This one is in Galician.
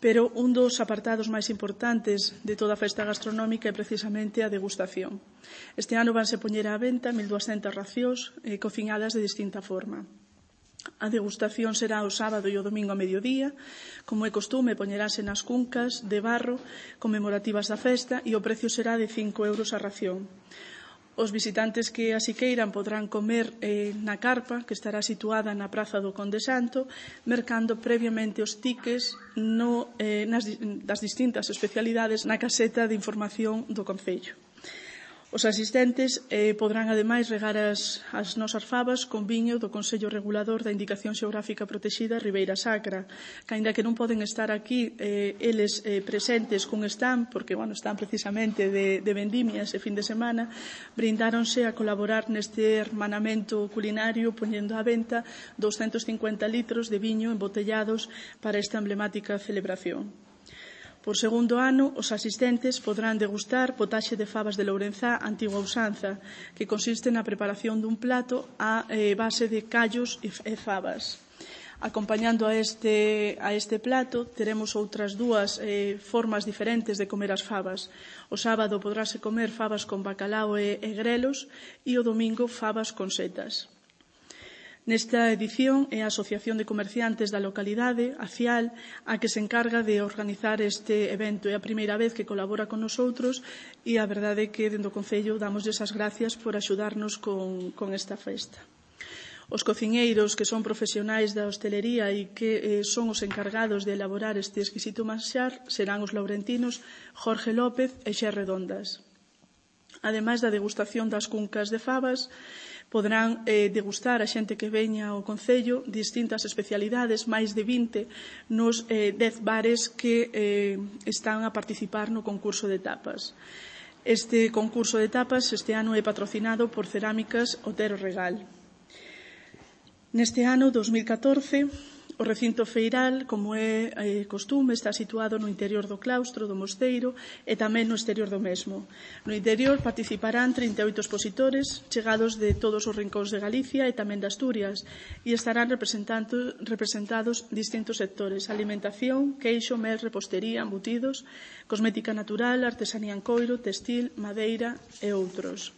Pero un dos apartados máis importantes de toda a festa gastronómica é precisamente a degustación. Este ano vanse poñer á venta 1.200 racións cociñadas de distinta forma. A degustación será o sábado e o domingo a mediodía. Como é costume, poñerase nas cuncas de barro conmemorativas da festa e o precio será de 5 euros a ración. Os visitantes que así queiran podrán comer na carpa, que estará situada na Praza do Conde Santo, mercando previamente os tickets das distintas especialidades na caseta de información do Concello. Os asistentes podrán, ademais, regar as nosas favas con viño do Consello Regulador da Indicación Xeográfica Protexida Ribeira Sacra, que, aínda que non poden estar aquí eles presentes cun stand, porque están precisamente de vendimia ese fin de semana, brindáronse a colaborar neste hermanamento culinario poñendo á venta 250 litros de viño embotellados para esta emblemática celebración. Por segundo ano, os asistentes podrán degustar potaxe de fabas de Lourenzá antigua usanza, que consiste na preparación dun plato a base de callos e fabas. Acompañando a este plato, teremos outras dúas formas diferentes de comer as fabas. O sábado podráse comer fabas con bacalao e grelos e o domingo fabas con setas. Nesta edición é a Asociación de Comerciantes da localidade, a FIAL, a que se encarga de organizar este evento. É a primeira vez que colabora con nosotros e a verdade é que, dende o Concello, damosles as gracias por axudarnos con esta festa. Os cociñeiros, que son profesionais da hostelería e que son os encargados de elaborar este exquisito manxar, serán os laurentinos Jorge López e Xe Redondas. Ademais da degustación das cuncas de fabas, poderán degustar a xente que veña ao Concello distintas especialidades, máis de 20 nos 10 bares que están a participar no concurso de tapas. Este concurso de tapas este ano é patrocinado por Cerámicas Otero Regal. Neste ano 2014, o recinto feiral, como é costume, está situado no interior do claustro do mosteiro e tamén no exterior do mesmo. No interior participarán 38 expositores chegados de todos os rincóns de Galicia e tamén de Asturias e estarán representados distintos sectores: alimentación, queixo, mel, repostería, embutidos, cosmética natural, artesanía en coiro, textil, madeira e outros.